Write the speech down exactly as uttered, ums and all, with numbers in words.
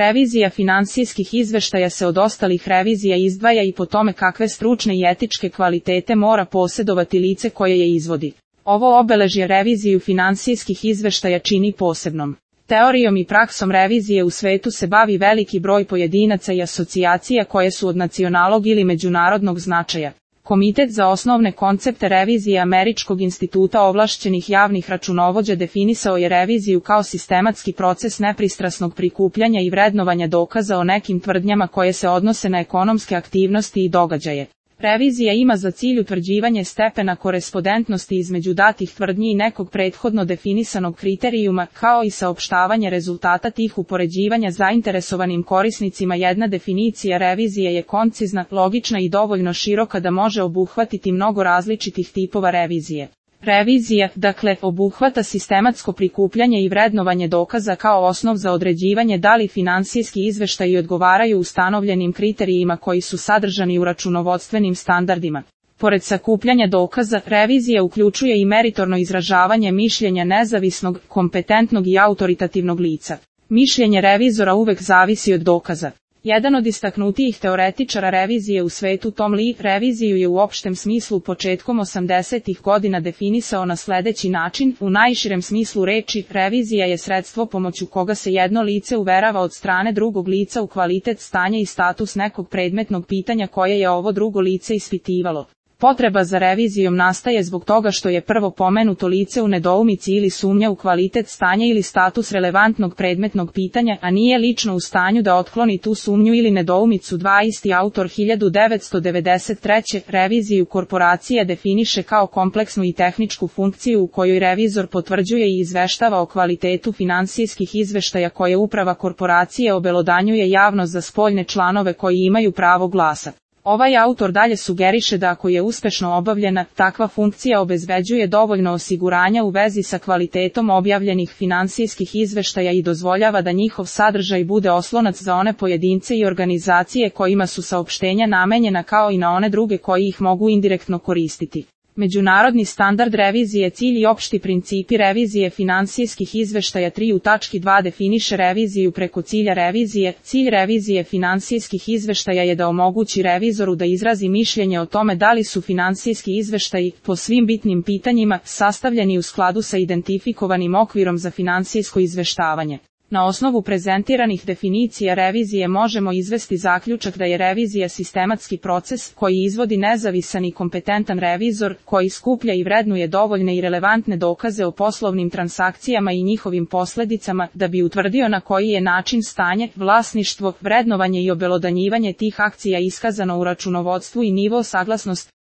Revizija finansijskih izveštaja se od ostalih revizija izdvaja i po tome kakve stručne i etičke kvalitete mora posjedovati lice koje je izvodi. Ovo obeležje reviziju finansijskih izveštaja čini posebnom. Teorijom i praksom revizije u svetu se bavi veliki broj pojedinaca i asocijacija koje su od nacionalnog ili međunarodnog značaja. Komitet za osnovne koncepte revizije Američkog instituta ovlašćenih javnih računovođa definisao je reviziju kao sistematski proces nepristrasnog prikupljanja i vrednovanja dokaza o nekim tvrdnjama koje se odnose na ekonomske aktivnosti i događaje. Revizija ima za cilj utvrđivanje stepena korespondentnosti između datih tvrdnji i nekog prethodno definisanog kriterijuma, kao i saopštavanje rezultata tih upoređivanja zainteresovanim korisnicima. Jedna definicija revizije je koncizna, logična i dovoljno široka da može obuhvatiti mnogo različitih tipova revizije. Revizija, dakle, obuhvata sistematsko prikupljanje i vrednovanje dokaza kao osnov za određivanje da li finansijski izveštaji odgovaraju ustanovljenim kriterijima koji su sadržani u računovodstvenim standardima. Pored sakupljanja dokaza, revizija uključuje i meritorno izražavanje mišljenja nezavisnog, kompetentnog i autoritativnog lica. Mišljenje revizora uvek zavisi od dokaza. Jedan od istaknutijih teoretičara revizije u svetu, Tom Lee, reviziju je u opštem smislu početkom osamdesetih godina definisao na sledeći način: u najširem smislu reči, revizija je sredstvo pomoću koga se jedno lice uverava od strane drugog lica u kvalitet stanja i status nekog predmetnog pitanja koje je ovo drugo lice ispitivalo. Potreba za revizijom nastaje zbog toga što je prvo pomenuto lice u nedoumici ili sumnja u kvalitet stanja ili status relevantnog predmetnog pitanja, a nije lično u stanju da otkloni tu sumnju ili nedoumicu. Dva Isti autor hiljadu devetsto devedeset treće. Reviziju korporacija definiše kao kompleksnu i tehničku funkciju u kojoj revizor potvrđuje i izveštava o kvalitetu finansijskih izveštaja koje uprava korporacije obelodanjuje javno za spoljne članove koji imaju pravo glasa. Ovaj autor dalje sugeriše da ako je uspešno obavljena, takva funkcija obezbeđuje dovoljno osiguranja u vezi sa kvalitetom objavljenih finansijskih izveštaja i dozvoljava da njihov sadržaj bude oslonac za one pojedince i organizacije kojima su saopštenja namenjena, kao i na one druge koji ih mogu indirektno koristiti. Međunarodni standard revizije, cilj i opšti principi revizije finansijskih izveštaja. Tri U tački dva definiše reviziju preko cilja revizije. Cilj revizije finansijskih izveštaja je da omogući revizoru da izrazi mišljenje o tome da li su finansijski izveštaji, po svim bitnim pitanjima, sastavljeni u skladu sa identifikovanim okvirom za finansijsko izveštavanje. Na osnovu prezentiranih definicija revizije možemo izvesti zaključak da je revizija sistematski proces koji izvodi nezavisan i kompetentan revizor, koji skuplja i vrednuje dovoljne i relevantne dokaze o poslovnim transakcijama i njihovim posledicama, da bi utvrdio na koji je način stanje, vlasništvo, vrednovanje i obelodanjivanje tih akcija iskazano u računovodstvu i nivo saglasnosti